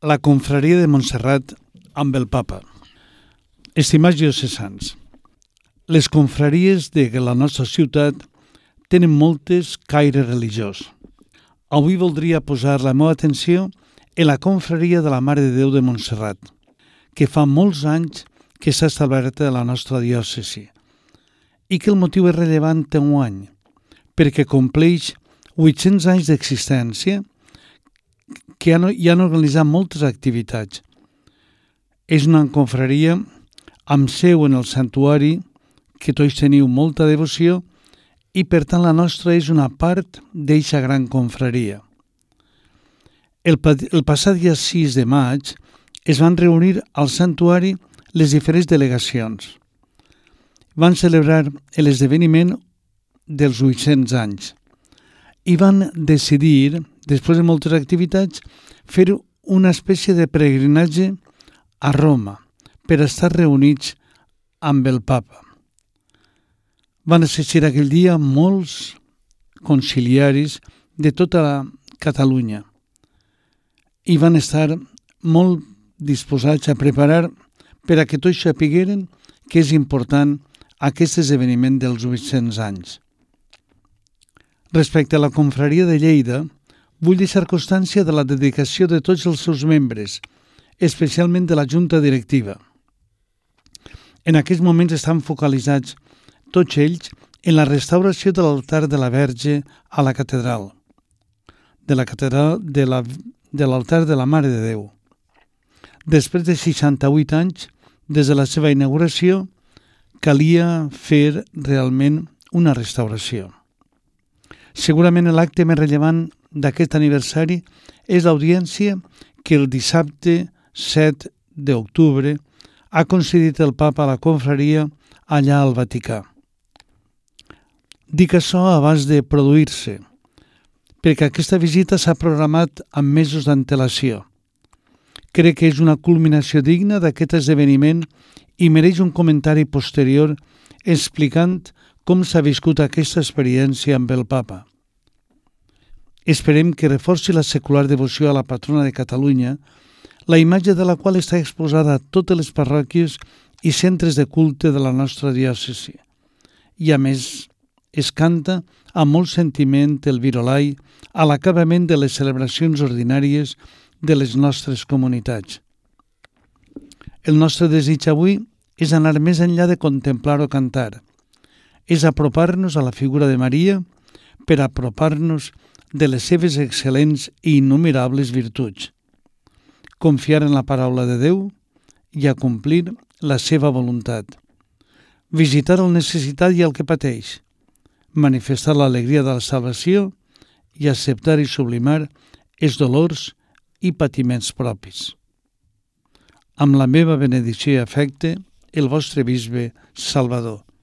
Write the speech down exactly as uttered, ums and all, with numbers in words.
La confraria de Montserrat amb el Papa. Estimats diocesans, les confraries de la nostra ciutat tenen moltes caire religiós. Avui voldria posar la meva atenció en la confraria de la Mare de Déu de Montserrat, que fa molts anys que s'ha establert a la nostra diòcesi i que el motiu és rellevant en un any, perquè compleix vuit-cents anys d'existència que han, hi han organitzat moltes activitats. És una confraria amb seu en el santuari, que tots teniu molta devoció, i per tant la nostra és una part d'eixa gran confraria. El, el passat dia sis de maig es van reunir al santuari les diferents delegacions. Van celebrar l'esdeveniment dels vuit-cents anys i van decidir, després de moltes activitats, fer una espècie de peregrinatge a Roma per estar reunits amb el Papa. Van assistir aquell dia molts conciliaris de tota la Catalunya i van estar molt disposats a preparar per a que tots sapigueren que és important aquest esdeveniment dels vuit-cents anys. Respecte a la confraria de Lleida, vull deixar constància de la dedicació de tots els seus membres, especialment de la Junta Directiva. En aquests moments estan focalitzats tots ells en la restauració de l'altar de la Verge a la catedral, de la catedral de, la, de l'altar de la Mare de Déu. Després de seixanta-vuit anys, des de la seva inauguració, calia fer realment una restauració. Segurament l'acte més rellevant d'aquest aniversari és l'audiència que el dissabte set d'octubre ha concedit el Papa a la confraria allà al Vaticà. Dic això abans de produir-se, perquè aquesta visita s'ha programat amb mesos d'antelació. Crec que és una culminació digna d'aquest esdeveniment i mereix un comentari posterior explicant com s'ha viscut aquesta experiència amb el Papa. Esperem que reforci la secular devoció a la patrona de Catalunya, la imatge de la qual està exposada a totes les parròquies i centres de culte de la nostra diòcesi. I a més, es canta amb molt sentiment el virolai a l'acabament de les celebracions ordinàries de les nostres comunitats. El nostre desig avui és anar més enllà de contemplar o cantar. És apropar-nos a la figura de Maria per apropar-nos de les seves excel·lents i innumerables virtuts. Confiar en la paraula de Déu i acomplir la seva voluntat. Visitar el necessitat i el que pateix. Manifestar l'alegria de la salvació i acceptar i sublimar els dolors i patiments propis. Amb la meva benedicció i afecte, el vostre bisbe Salvador.